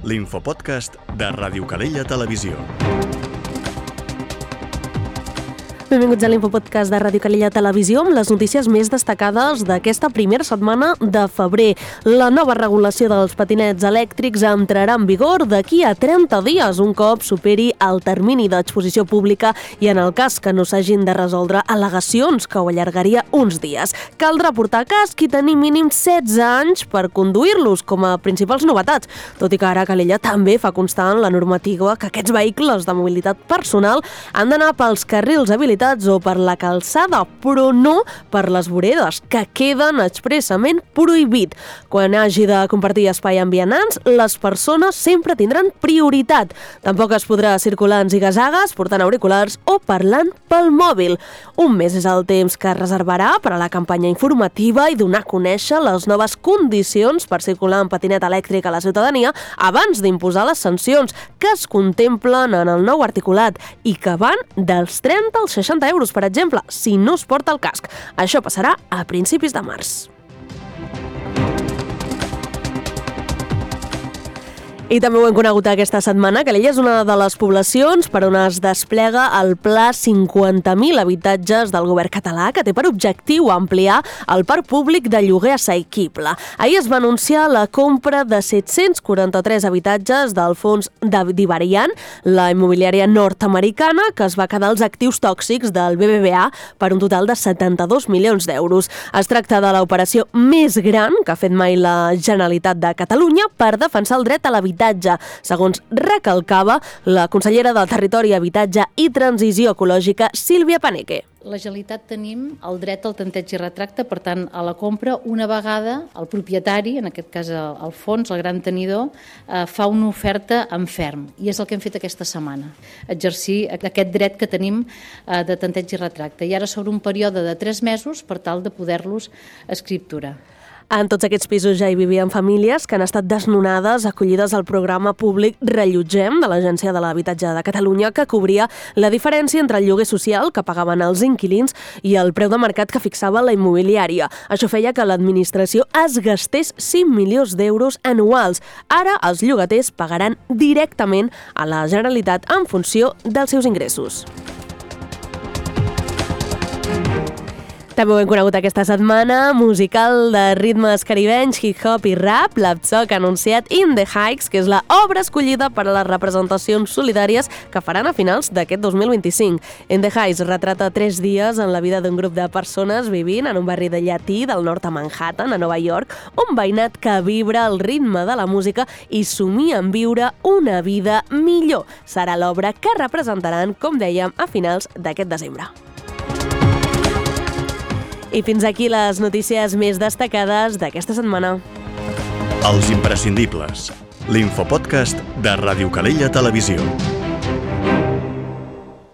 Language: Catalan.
l'infopodcast de Ràdio Calella Televisió. Benvinguts a l'Infopodcast de Ràdio Calella Televisió amb les notícies més destacades d'aquesta primera setmana de febrer. La nova regulació dels patinets elèctrics entrarà en vigor d'aquí a 30 dies, un cop superi el termini d'exposició pública i en el cas que no s'hagin de resoldre al·legacions, que ho allargaria uns dies. Caldrà portar casc i tenir mínim 16 anys per conduir-los, com a principals novetats, tot i que ara Calella també fa constar en la normativa que aquests vehicles de mobilitat personal han d'anar pels carrils habilitats o per la calçada, però no per les voreres, que queden expressament prohibit. Quan hagi de compartir espai amb vianants, les persones sempre tindran prioritat. Tampoc es podrà circular en ziga-zagues, portant auriculars o parlant pel mòbil. Un mes és el temps que es reservarà per a la campanya informativa i donar a conèixer les noves condicions per circular en patinet elèctric a la ciutadania abans d'imposar les sancions que es contemplen en el nou articulat i que van dels 30 als 60 euros, per exemple, si no es porta el casc. Això passarà a principis de març. I també ho hem conegut aquesta setmana. Calella és una de les poblacions per on es desplega el Pla 50.000 habitatges del govern català, que té per objectiu ampliar el parc públic de lloguer assequible. Ahir es va anunciar la compra de 743 habitatges del fons d'Ivarian, la immobiliària nord-americana, que es va quedar els actius tòxics del BBVA per un total de 72 milions d'euros. Es tracta de l'operació més gran que ha fet mai la Generalitat de Catalunya per defensar el dret a l'habitatge, segons recalcava la consellera de Territori, Habitatge i Transició Ecològica, Sílvia Paneque. La Generalitat tenim el dret al tanteig i retracte, per tant, a la compra, una vegada el propietari, en aquest cas el fons, el gran tenidor, fa una oferta en ferm. I és el que hem fet aquesta setmana, exercir aquest dret que tenim de tanteig i retracte. I ara sobre un període de 3 mesos per tal de poder-los escripturar. En tots aquests pisos ja hi vivien famílies que han estat desnonades, acollides al programa públic Rellotgem de l'Agència de l'Habitatge de Catalunya, que cobria la diferència entre el lloguer social que pagaven els inquilins i el preu de mercat que fixava la immobiliària. Això feia que l'administració es gastés 5 milions d'euros anuals. Ara els llogaters pagaran directament a la Generalitat en funció dels seus ingressos. També ho hem conegut aquesta setmana, musical de ritmes caribenys, hip-hop i rap. L'Absoc ha anunciat In The Heights, que és la obra escollida per a les representacions solidàries que faran a finals d'aquest 2025. In The Heights retrata 3 dies en la vida d'un grup de persones vivint en un barri de llatí del nord a Manhattan, a Nova York, un veïnat que vibra el ritme de la música i somia en viure una vida millor. Serà l'obra que representaran, com dèiem, a finals d'aquest desembre. I fins aquí les notícies més destacades d'aquesta setmana. Els imprescindibles. L'infopodcast de Ràdio Calella Televisió.